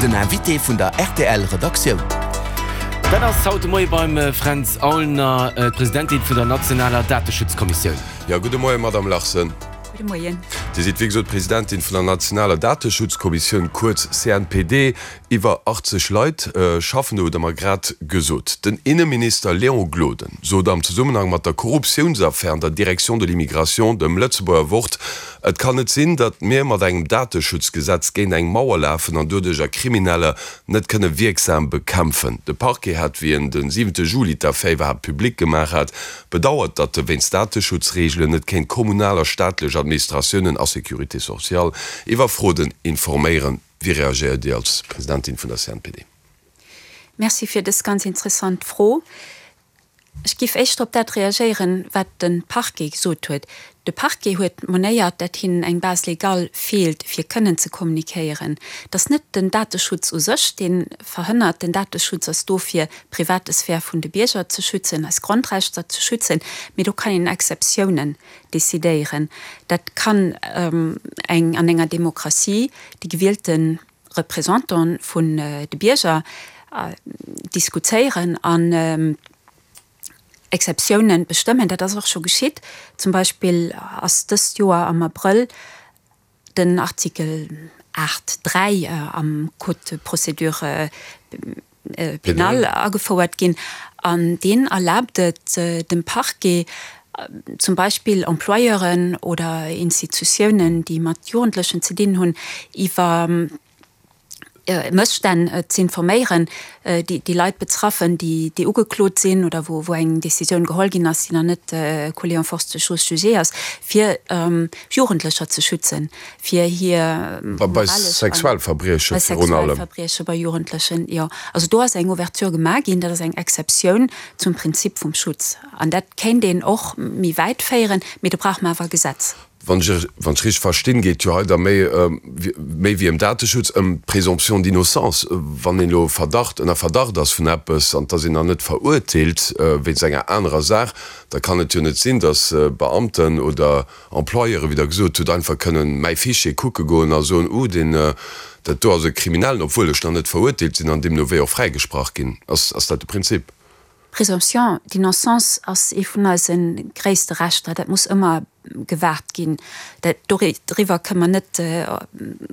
Den Invité vun der rtl Redaktioun. Dat ass haut de Moie beim Fränz Aulner, d'Presidentin vun der nationaler Dateschutzkommissioun. Jo, gudde Moie Madame Larsen. Gudde Moien. Dir sidd wéi gesot Presidentin vun der nationaler Dateschutzkommissioun, kuerz CNPD. Iwwer 80 Leit schaffen do, hutt Der mer grad gesot. Den Inneminister Léon Gloden sot am Zesummenhang mat der Korruptiounsaffär an der Direction de l'immigration dem Lëtzebuerger Wort, Et kann net sinn, datt mir mat engem Dateschutzgesetz géint eng Mauer lafen an doduercher Krimineller net kënne wierksam bekämpfen. De Parquet hat, wéi en de siwente Juli d'Affär iwwerhaapt public gemaach hat, bedauert, datt e wéinst Dateschutzreegelen net kéint kommunal a staatlech Administratiounen a Sécurité sociale iwwer Frauden informéieren. Wéi reagéiert Dir als Presidentin vun der CNPD? Merci fir dës ganz interessant Fro. Ech géif éischter op dat reagéieren, wat de Parquet gesot huet. De Parquet huet monéiert, dat hinnen eng Base légale feelt, fir kënnen ze kommunikéieren. Et ass net den Dateschutz u sech, dee verhënnert. Den Dateschutz ass do, fir d'private Sphär vun de Bierger ze schützen, eis Grondrechter ze schützen. Mee do kann een Exceptiounen decidéieren. Dat kann eng an enger Demokratie déi gewielte Représentanten vun de Bierger diskutéieren an Exceptiounen bestëmmen. Dat ass och scho geschitt. Zum Beispill ass dëst Joer am Abrëll den Artikel 8, 3 am Code de procédure pénale agefouert ginn an deen erlaabt et dem Parquet, zum Beispill Employeuren oder Institutiounen, déi mat Jugendlechen ze dinn hunn, iwwer Mësstänn z'informéieren, déi déi Leit betraffen, déi déi ugeklot sinn oder wou wou eng Décisioun geholl ginn ass, déi nach net coulée en force de chose jugée ass, fir Jugendlecher ze schützen, fir hir Bei Sexualverbrieche virun allem. Bei Sexualverbrieche bei Jugendlechen, jo. Also do ass eng Ouverture gemaach ginn, dat ass eng Exceptioun zum Prinzip vum Schutz. An dat kéint een och méi wäit féieren, mee do brauche mer awer e Gesetz. Wann ech wann ech richteg verstinn, geet jo hei da méi méi wéi ëm Dateschutz, ëm d'Présomption d'innocence. Wann een elo Verdacht, ënner Verdacht ass vun eppes an et ass een nach net verurteelt wéinst enger anerer Saach, da kann et jo net sinn, datt Beamten oder Employeuren, wéi Der gesot hutt, einfach kënnen mäi Fichier kucke goen a soen, Uh, deen, dat do ass e Kriminellen, obwuel ech nach net verurteelt sinn an deemno wéi och fräigesprach ginn. Ass, ass dat de Prinzip? D'Présomption d'innocence ass ee vun eise gréisste Rechter. Dat muss ëmmer gewaart ginn. Dat, doriwwer kënne mer net,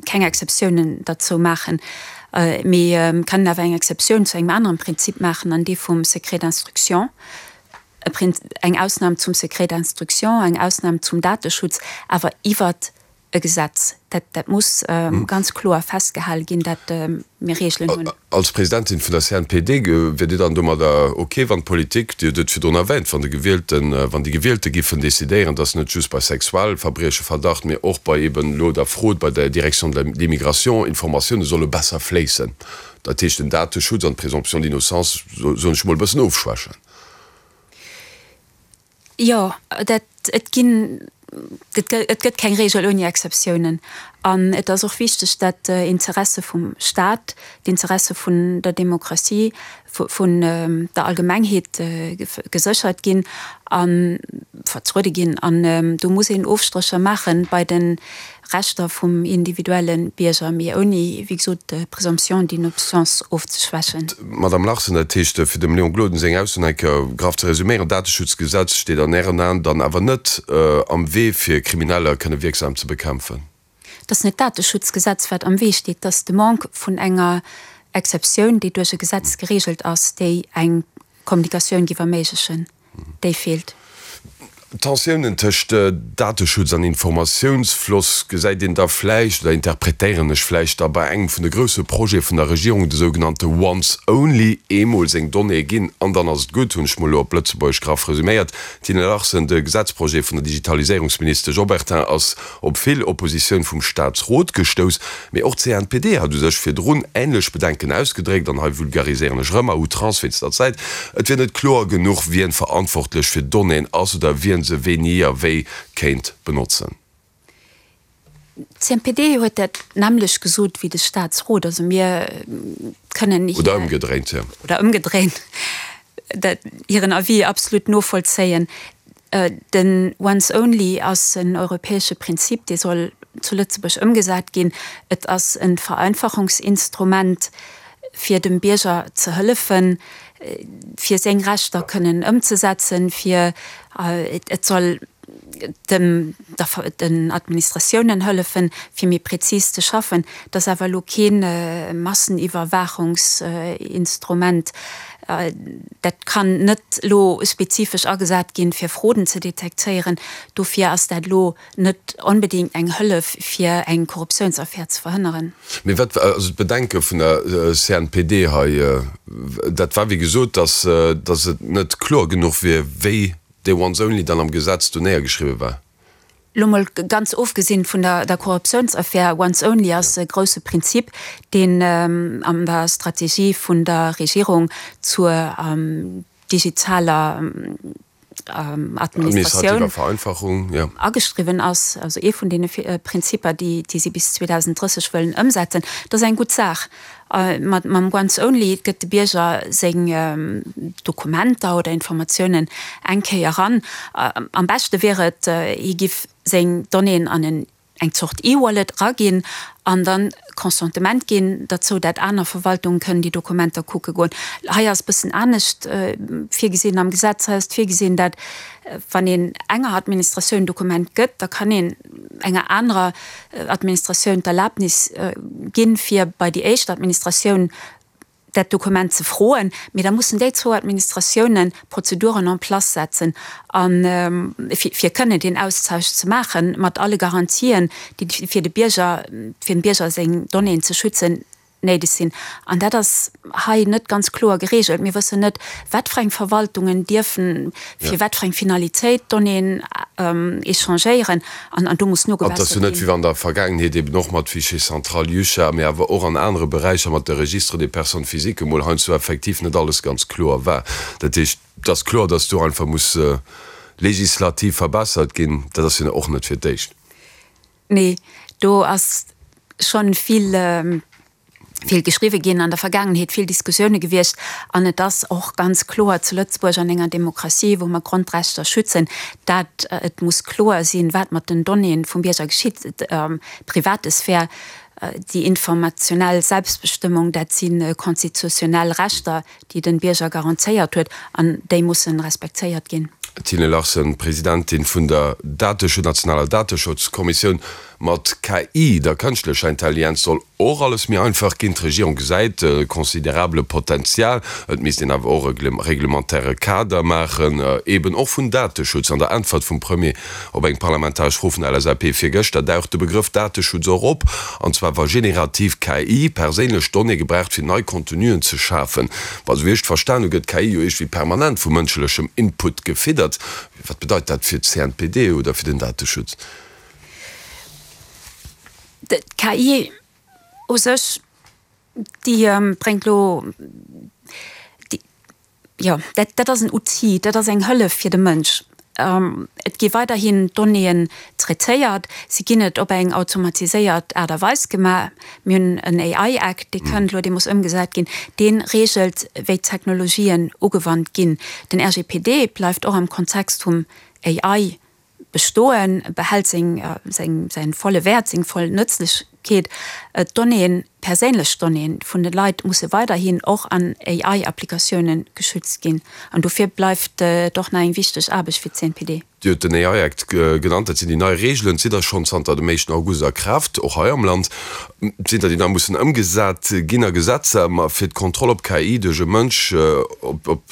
keng Exceptiounen derzou maachen. Mee kënnen awer eng Exceptioun zu engem aneren Prinzip maachen, an dee vum Secret d'instruction. Eng Ausnam zum Secret d'instruction, eng Ausnam zum Dateschutz, awer iwwert e Gesetz. Dat, dat muss ganz kloer festgehale ginn, dat mir Reegelen hunn. Als Presidentin vun der CNPD, wiert Dir dann domadder ok, wann d'Politik, Dir hutt et virdrun erwähnt, wann de Gewielten, wann déi Gewielte giffen decidéieren, datt net just bei Sexualverbrieche Verdacht, mee och bei eben elo der Fraude bei der Direction de l'immigration Informatioune solle besser fléissen, dat heescht den Dateschutz an d'Présomption d'innocence, soen ech emol, e bëssen ofschwächen? Jo, dat, et ginn, et gëtt keng Regel ouni Exceptiounen. An et ass och wichteg, dat d'Interesse vum Stat, d'Interesse vun der Demokratie, vun der Allgemengheet geséchert ginn a vertruede ginn. An do muss een Ofstrécher maache bei de Rechter vum individuelle Bierger, mee ouni, wéi gesot, d'Présomption d'innocence ofzeschwächen. Madame Larsen, dat heescht, fir dem Léon Gloden seng Aussoen eng Kéier graff ze resuméieren, D'Dateschutzgesetz steet an Ären Aen dann awer net am Wee, fir Krimineller kënne wierksam ze bekämpfen? Et ass net d'Dateschutzgesetz, wat am Wee steet, et ass de Manque vun enger Exceptioun, déi duerch e Gesetz geregelt ass, déi eng Kommunikatioun géif erméiglechen. Déi feelt. Tensiounen tëscht Dateschutz an Informatiounsfloss gesäit een da vläicht, oder interpretéieren ech vläicht da bei engem vun de grousse Projete vun der Regierung, de sougenannte Once Only, eemol seng Donnéeë ginn an dann ass et gutt, hunn ech mol elo op Lëtzebuergesch graff resuméiert. Tine Larsen, De Gesetzprojet vun der Digitaliséierungsministesch Obertin ass op vill Oppositioun vum Staatsrot gestouss. Mee och d'CNPD hat u sech virdrun änlech Bedenken ausgedréckt, an hei vulgariséieren ech erëm à outrance wéinst der Zäit, et wier net kloer genuch, wien verantwortlech fir d'Donnéeën ass oder wien se wéini a wéi kéint benotzen. D'CNPD huet dat nämmlecht gesot wéi de Staatsrot. Also mir kënnen hir. Oder ëmgedréint, jo. Oder ëmgedréint, dat hiren Avis absolut novollzéien. Den Once Only ass en europäesche Prinzip, dee soll. zu Lëtzebuerg ëmgesat ginn. Et ass e Vereinfachungsinstrument, fir dem Bierger ze hëllefen, fir seng Rechter kënnen ëmzesetzen, fir et soll dem den Administratiounen hëllefen, fir méi prezis ze schaffen. Et ass awer elo kee Masseniwwerwaachungsinstrument. Dat kann net elo spezifesch agesat ginn, fir Frauden ze detektéieren. Dofir ass dat elo net onbedéngt eng Hëllef, fir eng Korruptiounsaffär ze verhënneren. Mee wat war also d'Bedenke vun der CNPD hei? Dat war wéi gesot, datt et net kloer genuch wier, wéi dee Once Only dann am Gesetz do néiergeschriwwe war. Lo mol ganz ofgesinn vun der Korruptiounsaffär, Once Only ass e grousse Prinzip, deen an der Strategie vun der Regierung zur digitaler Administratioun ageschriwwen ass, also ee vun deene Prinzipper, déi si bis 2030 wëllen ëmsetzen. Dat ass eng gutt Saach. Mam Once Only gëtt de Bierger seng Dokumenter oder Informatiounen eng Kéier eran. Am beschte wier et, hie giff seng Donnéeën an en eng Zort E-Wallet eraginn an dann Consentement ginn derzou, dat aner Verwaltungen kënnen déi Dokumenter kucke goen. Hei ass e bëssen anescht virgesinn am Gesetz. Hei ass virgesinn, dat wann een enger Administratioun en Dokument gëtt, da kann een enger anerer Administratioun d'Erlaabnis ginn, fir bei déi éischt Administratioun dat Dokument ze froen, mee da mussen déi zwou Administratiounen Prozeduren en place setzen, a fir kënnen deen Austausch ze maachen, mat alle Garantien, déi fir de Bierger, fir dem Bierger seng Donnéeën ze schützen, néideg sinn. An dat ass hei net ganz kloer geregelt. Mir wëssen net, wat fir eng Verwaltungen dierfen fir wat fir eng Finalitéit Donnéeën échangéieren. An do muss An et ass jo nogewässert net, wéi ginn. an der Vergaangenheet eben och mat Fichier central JUCHA, mee awer och an anere Beräicher mat de Registres des personnes physiques emol heiansdo effektiv net alles ganz kloer war. Dat heescht, et ass kloer, dass do einfach muss legislativ verbessert ginn. Dat ass jo och net fir d'éischt. Nee, do ass schonn vill, vill geschriwwe ginn an der Vergaangenheet, vill Diskussioune gewiescht. An et ass och ganz kloer zu Lëtzebuerg an enger Demokratie, wou mer Grondrechter schützen, dat et muss kloer sinn, wat mat den Donnéeën vum Bierger geschitt. D'private Sphär, déi informationell Selbstbestëmmung, dat si konstitutionell Rechter, déi den Bierger garantéiert huet, an déi mussen respektéiert ginn. Tine Larsen, Presidentin vun der Dateschutz nationaler Dateschutzkommissioun, Mat KI, der kënschtlecher Intelligenz, soll och alles méi einfach ginn. D'Regierung gesäit e considerabele Potenzial. Et misst een awer och e reglementaire Kader maachen, eben och vun Dateschutz. An der Äntwert vum Premier Op eng parlamentaresch Fro vun der LSAP virgëschter daucht de Begrëff Dateschutz och op, an zwar wa generativ KI perséinlech Donnéeë gebraucht fir nei Contenuen ze schafen. Wa sou wéi ech et verstan hu gëtt d'KI jo iergendwéi permanent vu mënschlechem Input gefiddert. Wat bedeit dat fir d'CNPD oder fir den Dateschutz? D'KI u sech, déi bréngt elo, déi, jo, dat, dat ass en Outil, dat ass eng Hëllef fir de Mënsch. Et gi weiderhin Donnéeën traitéiert, se ginn net op eng automatiséiert Aart a Weis gemaach. Mir hunn en AI Act, dee kënnt elo, dee muss ëmgesat ginn, dee reegelt, wéi d'Technologien ugewannt ginn. Den RGPD bleift och am Kontext vum AI bestoen, behält seng, seng, säin volle Wäert, seng voll Nëtzlechkeet. D'Donnéeën, perséinlech Donnéeën vun de Leit musse weiderhin och an AI-Applikatiounen geschützt ginn. An dofir bleift et och nach eng wichteg Aarbecht fir d'CNPD. Dir hutt den AI Act genannt, dat sinn déi nei Reegelen, d'si da schonn zanter dem éischten August a Kraaft, och hei am Land. Sinn der, déi nach mussen ëmgesat ginn a Gesetzer, ma fir d'Kontroll op KI duerch e Mënsch, op, op,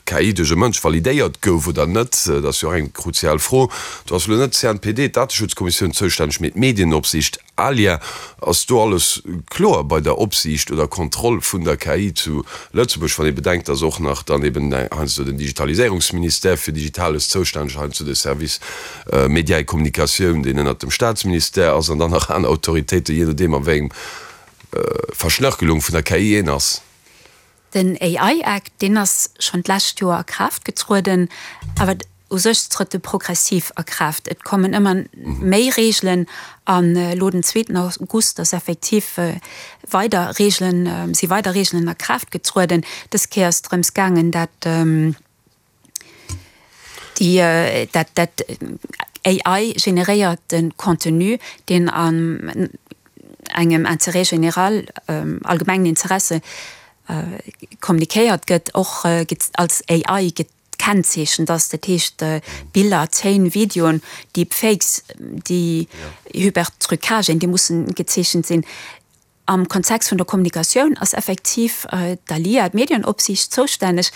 KI duerch e Mënsch validéiert gouf oder net, dat ass jo och eng kruzial Fro. Do ass elo net d'CNPD, d'Dateschutzkommissioun, zoustänneg, mee d'Medienopsiicht, ALIA. Ass do alles kloer bei der Opsiicht oder Kontroll vun der KI zu Lëtzebuerg, wann ee bedenkt, dass och nach dann eben heiansdo den Digitaliséierungsministère fir Digitales zoustänneg, heiansdo de Service Médias et Communications, deen ënnert dem Staatsministère ass, an dann nach aner Autoritéiten, jee nodeem a wéi engem Verschnörkelung vun der KI een ass? Den AI Act, deen ass schonn d'lescht Joer a Kraaft getrueden, awer u sech trëtt e progressiv a Kraaft. Et kommen ëmmer méi Reegelen an elo den zweeten August ass effektiv weider Reegelen, si weider Reegelen a Kraaft getrueden. Dës Kéier ass et drëms gaangen, dat déi, dat, dat. AI-generéierte Contenu, deen an engem Intérêt général, allgemengen Interesse, kommunikéiert gëtt, och als AI gekennzeechent ass. Dat heescht Biller, Téin, Videoen, Deepfakes, déi Hypertrucagen, déi mussen gezeechent sinn. Am Kontext vun der Kommunikatioun ass effektiv d'ALIA, d'Medienopsiicht, zoustänneg,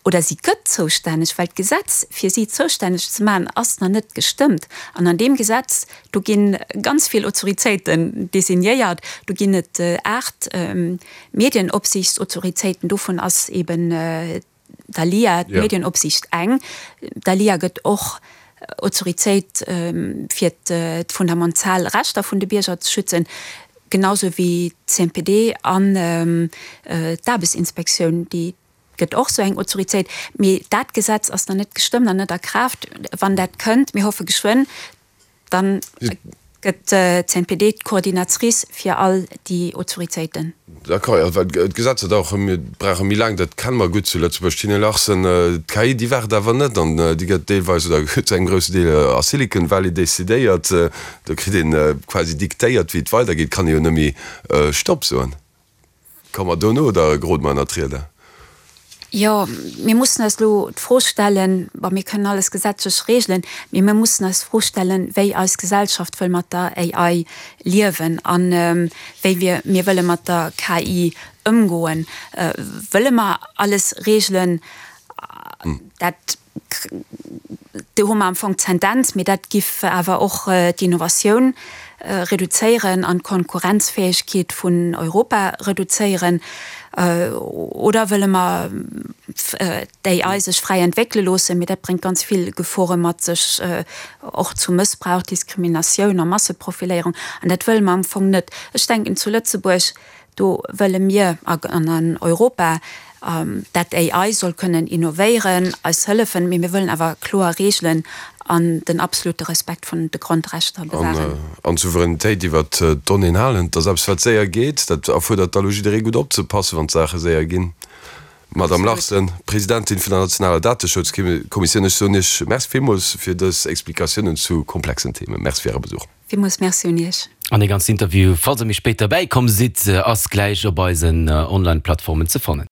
oder si gëtt zoustänneg, well d'Gesetz, fir si zoustänneg ze maachen, ass nach net gestëmmt. An an deem Gesetz, do gi ganz vill Autoritéiten designéiert, do ginn et 8 Medienopsiichtsautoritéiten, dovun ass eben d'ALIA, d'Medienopsiicht, eng. D'ALIA gëtt och Autoritéit, fir d'fundamental Rechter vun de Bierger ze schützen, genau sou wéi d'CNPD an d'Aarbechtsinspektioun, déi gëtt och sou eng Autoritéit. Mee dat Gesetz ass nach net gestëmmt an net a Kraaft. Wann dat kënnt, mir hoffe geschwënn, Dann gëtt d'CNPD d'Coordinatrice fir all déi Autoritéiten. D'accord, jo, well d'Gesetzer dauere, mir brauche méi laang, dat kenne mer gutt zu Lëtzebuerg. Tine Larsen, D'KI, déi waart awer net an déi gëtt deelweis oder zu engem groussen Deel a Silicon Valley decidéiert. Do kritt een quasi diktéiert, wéi et weidergeet, kann ee jo net méi Stopp soen. Komme mer dono oder gerode mer ënnert d'Rieder? Jo, mir mussen eis elo d'Fro stellen, bon, mir kënnen alles gesetzlech regelen, mee mir mussen eis d'Fro stellen, wéi eis Gesellschaft wëll mat der AI liewen a wéi wir mir wëlle mat der KI ëmgoen. Wëlle mer alles regelen? Dat Do hu mer am Fong d'Tendenz, mee dat giff awer och d'Innovatioun reduzéieren an d'Konkurrenzfäegkeet vun Europa reduzéieren. Oder wëlle mer d'AI sech fräi entwéckele loossen, mee dat bréngt ganz vill Gefore mat sech, och zu Mëssbrauch, Diskriminatioun a Masseprofiléierung. An dat wëlle mer am Fong net. Ech denken, zu Lëtzebuerg Do wëlle mir an an Europa, dat AI soll kënnen innovéieren, eis hëllefen, mee mir wëllen awer kloer Reegelen an den absolute Respekt vun de Grondrechter bewahren. An d'Souveränitéit iwwert d'Donnéeën halen. Dat ass eppes, wat séier geet. Dat erfuerdert da lo jidderee gutt opzepassen, wann d'Saache séier ginn. Madamm Larsen, Presidentin vun der nationaler Dateschutzkommissioun, ech soen Iech Merci villmools fir dës Explikatiounen zu komplexen Themen. Merci fir Äre Besuch. Villmools Merci un Iech. An dee ganzen Interview, falls der méi spéit derbäi komm sidd, ass gläich op eisen Online-Plattformen ze fannen.